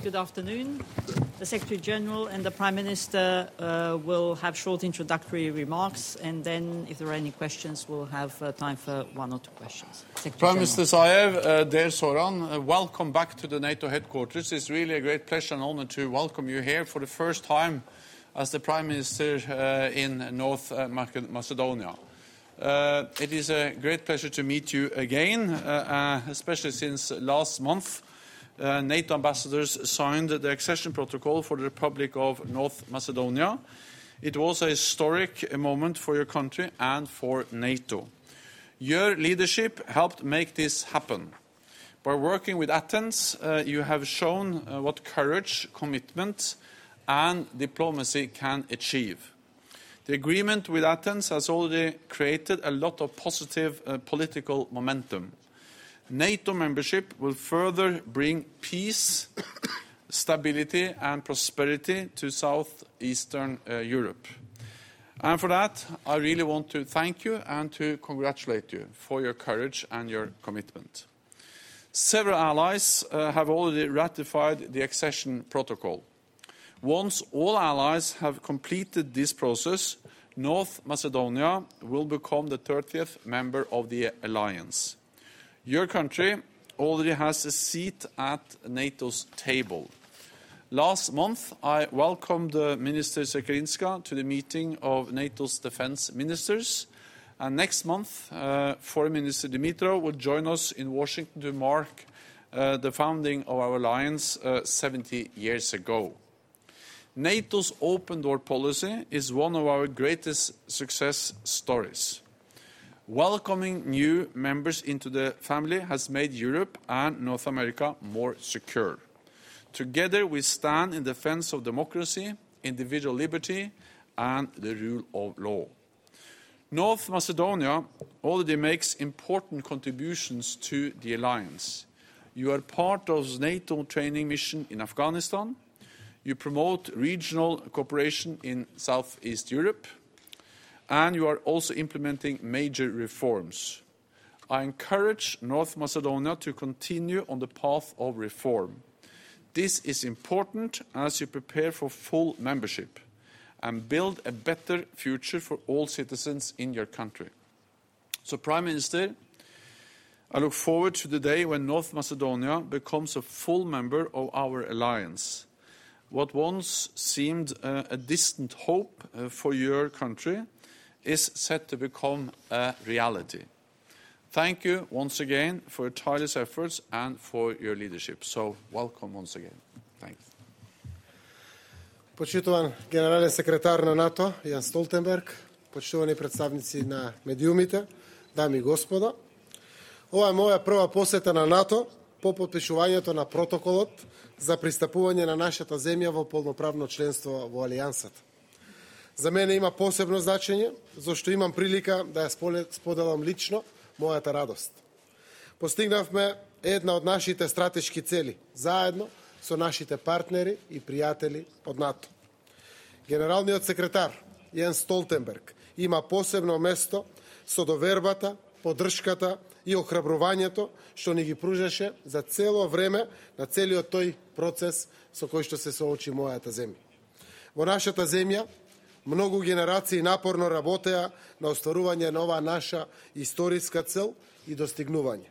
good afternoon. The Secretary General and the Prime Minister will have short introductory remarks, and then, if there are any questions, we'll have time for one or two questions. Prime Minister Zaev, dear Zoran, welcome back to the NATO headquarters. It's really a great pleasure and honor to welcome you here for the first time as the Prime Minister in North Macedonia. It is a great pleasure to meet you again, especially since last month NATO ambassadors signed the accession protocol for the Republic of North Macedonia. It was a historic moment for your country and for NATO. Your leadership helped make this happen. By working with Athens, you have shown what courage, commitment, and diplomacy can achieve. The agreement with Athens has already created a lot of positive political momentum. NATO membership will further bring peace, stability, and prosperity to southeastern Europe. And for that, I really want to thank you and to congratulate you for your courage and your commitment. Several allies have already ratified the accession protocol. Once all allies have completed this process, North Macedonia will become the 30th member of the alliance. Your country already has a seat at NATO's table. Last month, I welcomed Minister Sekerinska to the meeting of NATO's defense ministers. And next month, Foreign Minister Dimitrov will join us in Washington to mark the founding of our alliance 70 years ago. NATO's open door policy is one of our greatest success stories. Welcoming new members into the family has made Europe and North America more secure. Together we stand in defense of democracy, individual liberty, and the rule of law. North Macedonia already makes important contributions to the alliance. You are part of the NATO training mission in Afghanistan. You promote regional cooperation in Southeast Europe, and you are also implementing major reforms. I encourage North Macedonia to continue on the path of reform. This is important as you prepare for full membership and build a better future for all citizens in your country. So, Prime Minister, I look forward to the day when North Macedonia becomes a full member of our alliance. What once seemed a distant hope for your country is set to become a reality. Thank you once again for your tireless efforts and for your leadership. So, welcome once again. Thanks. Почитуван генерален секретар на НАТО, Јан Столтенберг, почитувани представници на медиумите, дами и господа. Ова е моја прва посета на НАТО по потпишувањето на протоколот за пристапување на нашата земја во полноправно членство во Алијансата. За мене има посебно значење, зашто имам прилика да ја споделам лично мојата радост. Постигнавме една од нашите стратешки цели, заедно со нашите партнери и пријатели од НАТО. Генералниот секретар Јенс Столтенберг има посебно место со довербата, поддршката и охрабрувањето што ни ги пружеше за цело време на целиот тој процес со кој што се соочи мојата земја. Во нашата земја многу генерации напорно работеа на остварување на оваа наша историска цел и достигнување.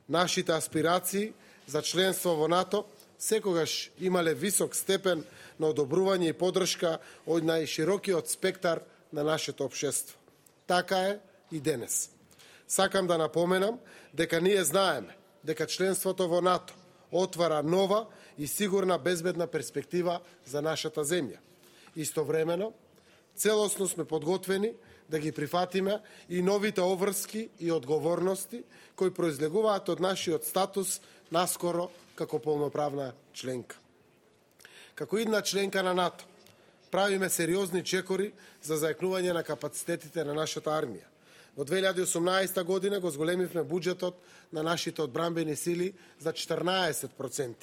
Нашите аспирации за членство во НАТО секогаш имале висок степен на одобрување и поддршка од најширокиот спектар на нашето општество. Така е и денес. Сакам да напоменам дека ние знаеме дека членството во НАТО отвара нова и сигурна безбедна перспектива за нашата земја. Истовремено, целосно сме подготвени да ги прифатиме и новите обврски и одговорности кои произлегуваат од нашиот статус наскоро како полноправна членка. Како идна членка на НАТО, правиме сериозни чекори за зајакнување на капацитетите на нашата армија. Во 2018 година го зголемивме буџетот на нашите одбранбени сили за 14%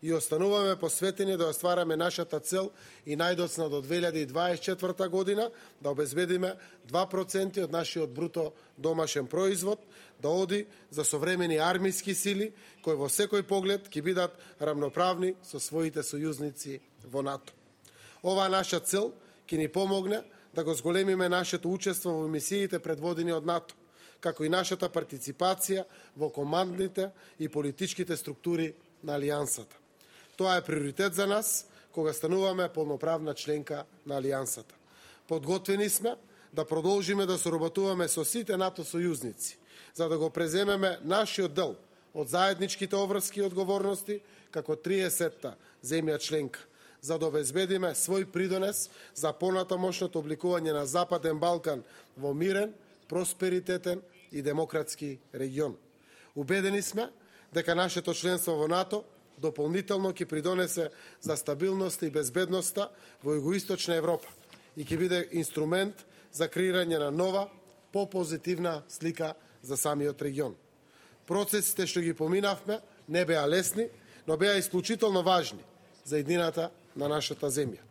и остануваме посветени да оствараме нашата цел и најдоцна до 2024 година да обезбедиме 2% од нашиот бруто домашен производ, да оди за современи армиски сили кои во секој поглед ќе бидат рамноправни со своите сојузници во НАТО. Оваа наша цел ќе ни помогне да го зголемиме нашето учество во мисиите предводени од НАТО, како и нашата партиципација во командните и политичките структури на Алијансата. Тоа е приоритет за нас кога стануваме полноправна членка на Алијансата. Подготвени сме да продолжиме да соработуваме со сите НАТО сојузници, за да го преземеме нашиот дел од заедничките обврски и одговорности како 30-та земја членка, за да обезбедиме свој придонес за понатамошното обликување на Западен Балкан во мирен, просперитетен и демократски регион. Убедени сме дека нашето членство во НАТО дополнително ќе придонесе за стабилноста и безбедноста во југоисточна Европа и ќе биде инструмент за креирање на нова, попозитивна слика за самиот регион. Процесите што ги поминавме не беа лесни, но беа исклучително важни за еднината на нашата земја.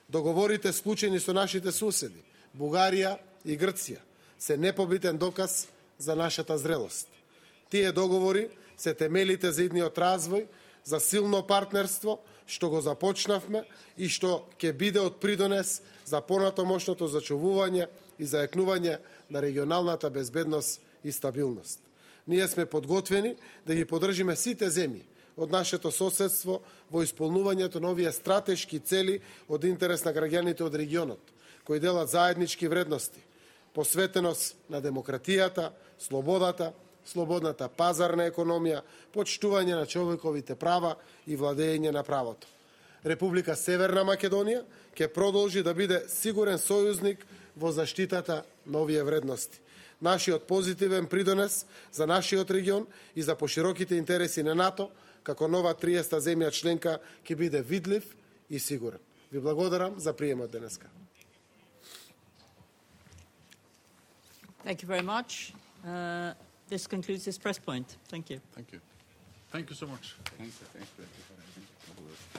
Договорите склучени со нашите суседи, Бугарија и Грција, се непобитен доказ за нашата зрелост. Тие договори се темелите за идниот развој, за силно партнерство, што го започнавме и што ќе биде од придонес за понатамошното зачувување и зајакнување на регионалната безбедност и стабилност. Ние сме подготвени да ги поддржиме сите земји од нашето соседство во исполнувањето на овие стратешки цели од интерес на граѓаните од регионот, кои делат заеднички вредности, посветеност на демократијата, слободата, слободната пазарна економија, почитување на човековите права и владење на правото. Република Северна Македонија ќе продолжи да биде сигурен сојузник во заштитата на овие вредности. Нашиот позитивен придонес за нашиот регион и за пошироките интереси на НАТО, како нова 30-та земја членка, ќе биде видлив и сигурен. Ви благодарам за приемот денеска. Thank you very much. This concludes this press point. Thank you. Thank you. Thank you so much. Thank you.